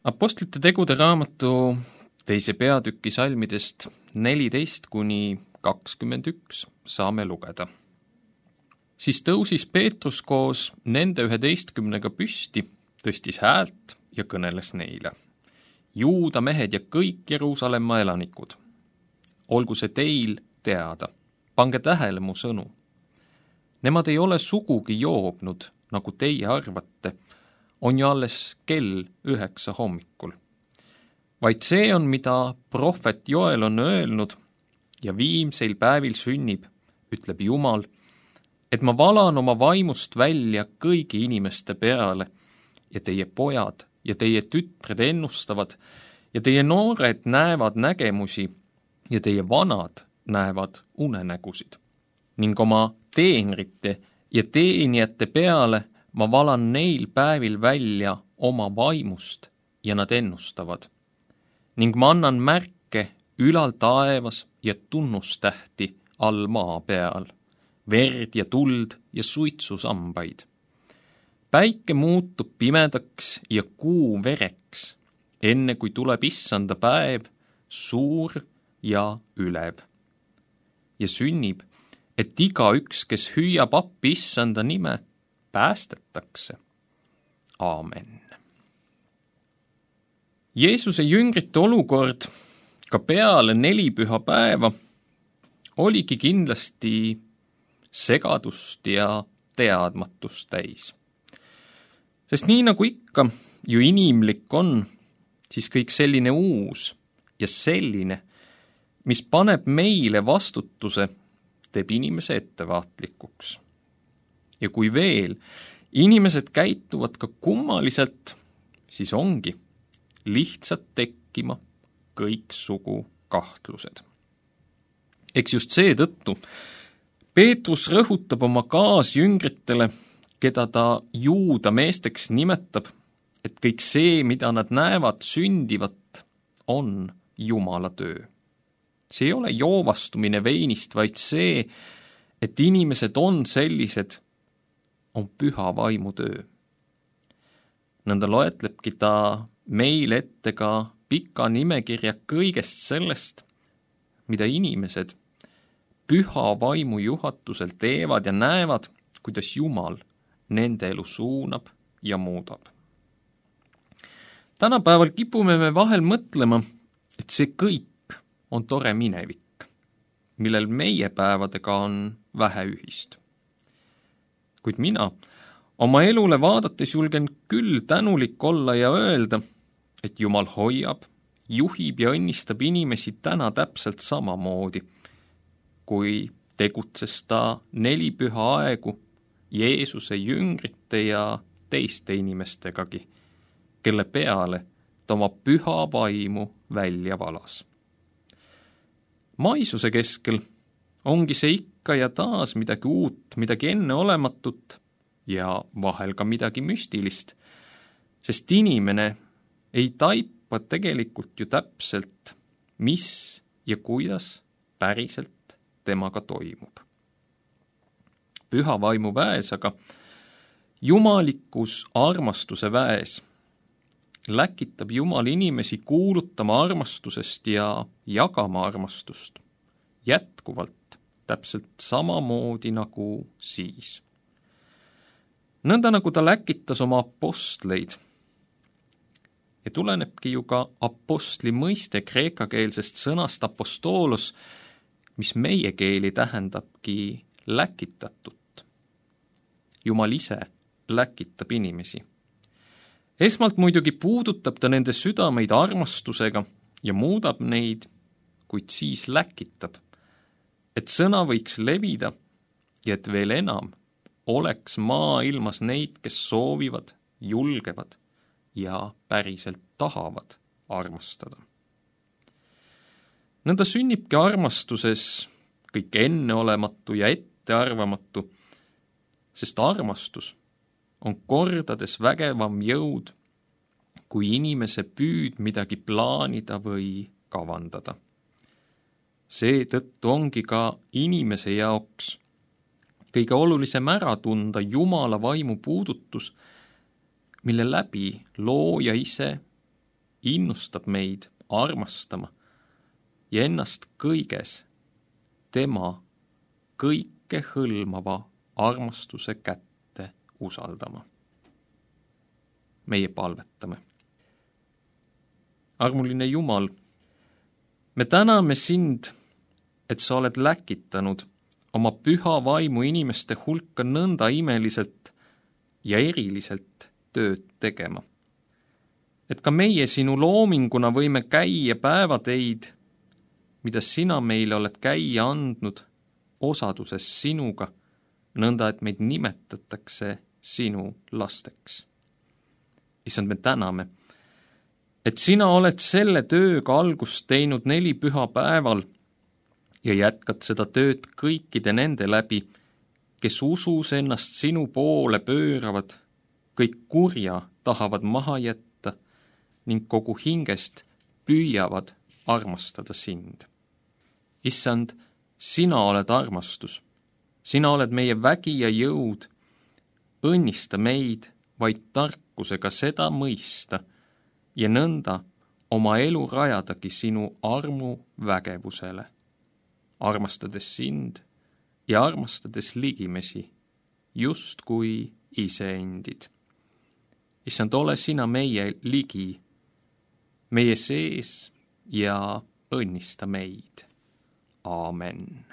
Apostlite tegude raamatu 2. peatüki salmidest 14–21 saame lugeda. Siis tõusis Peetrus koos nende 11 püsti, tõstis häält ja kõneles neile. Juuda mehed ja kõik Jeruusalemma elanikud. Olgu see teil teada, pange tähele mu sõnu. Nemad ei ole sugugi joobnud, nagu teie arvate, on ju alles kell 9 hommikul. Vaid see on, mida prohvet Joel on öelnud ja viimseil päevil sünnib, ütleb Jumal, et ma valan oma vaimust välja kõigi inimeste peale ja teie pojad ja teie tütred ennustavad ja teie noored näevad nägemusi ja teie vanad näevad unenägusid. Ning oma teenrite ja teenijate peale ma valan neil päevil välja oma vaimust ja nad ennustavad. Ning ma annan märke ülal taevas ja tunnustähti all maa peal, verd ja tuld ja suitsusambaid. Päike muutub pimedaks ja kuu vereks, enne kui tuleb issanda päev, suur ja ülev. Ja sünnib, et igaüks, kes hüüab appi issanda nime, päästetakse. Aamen. Jeesuse jüngrite olukord ka peale 4 pühapäeva oligi kindlasti segadust ja teadmatust täis. Sest nii nagu ikka ju inimlik on, siis kõik selline uus ja selline, mis paneb meile vastutuse, teeb inimese ettevaatlikuks. Ja kui veel inimesed käituvad ka kummaliselt, siis ongi lihtsalt tekkima kõiksugu kahtlused. Eks just seetõttu Peetrus rõhutab oma kaasjüngritele, keda ta juuda meesteks nimetab, et kõik see, mida nad näevad sündivat, on Jumala töö. See ei ole joovastumine veinist, vaid see, et inimesed on sellised, on püha vaimu töö. Nõnda loetlebki ta meil ette ka pika nimekirja kõigest sellest, mida inimesed püha vaimu juhatusel teevad ja näevad, kuidas Jumal nende elu suunab ja muudab. Tänapäeval kipume me vahel mõtlema, et see kõik on tore minevik, millel meie päevadega on vähe ühist. Kuid mina oma elule vaadates julgen küll tänulik olla ja öelda, et Jumal hoiab, juhib ja õnnistab inimesi täna täpselt samamoodi, kui tegutses ta 4 püha aegu Jeesuse jüngrite ja teiste inimestegagi, kelle peale ta oma püha vaimu välja valas. Maisuse keskel ongi see ikka ja taas midagi uut, midagi enneolematut ja vahel ka midagi müstilist, sest inimene ei taipa tegelikult ju täpselt, mis ja kuidas päriselt temaga toimub. Püha vaimu väes aga jumalikus armastuse väes läkitab Jumal inimesi kuulutama armastusest ja jagama armastust jätkuvalt täpselt samamoodi nagu siis. Nõnda nagu ta läkitas oma apostleid ja tulenebki ju ka apostli mõiste kreekakeelsest sõnast apostolos, mis meie keeli tähendabki läkitatut. Jumal ise läkitab inimesi. Esmalt muidugi puudutab ta nende südameid armastusega ja muudab neid, kuid siis läkitab, et sõna võiks levida ja et veel enam oleks maailmas neid, kes soovivad, julgevad ja päriselt tahavad armastada. Nõnda sünnibki armastuses kõik enneolematu ja ettearvamatu, sest armastus on kordades vägevam jõud kui inimese püüd midagi plaanida või kavandada. Seetõttu ongi ka inimese jaoks kõige olulisem ära tunda Jumala vaimu puudutus, mille läbi looja ise innustab meid armastama ja ennast kõiges tema kõikehõlmava armastuse kätte usaldama. Meie palvetame. Armuline Jumal, me täname sind, et sa oled läkitanud oma püha vaimu inimeste hulka nõnda imeliselt ja eriliselt tööd tegema. Et ka meie sinu loominguna võime käia päevateid, mida sina meile oled käia andnud osaduses sinuga, nõnda et meid nimetatakse sinu lasteks. Issand, me täname, et sina oled selle tööga algust teinud 4 pühapäeval ja jätkad seda tööd kõikide nende läbi, kes usus ennast sinu poole pööravad, kõik kurja tahavad maha jätta ning kogu hingest püüavad armastada sind. Issand, sina oled armastus, sina oled meie vägi ja jõud, õnnista meid vaid tarkusega seda mõista ja nõnda oma elu rajadagi sinu armu vägevusele, armastades sind ja armastades ligimesi, just kui iseendid. Issand, ole sina meie ligi, meie sees ja õnnista meid. Aamen.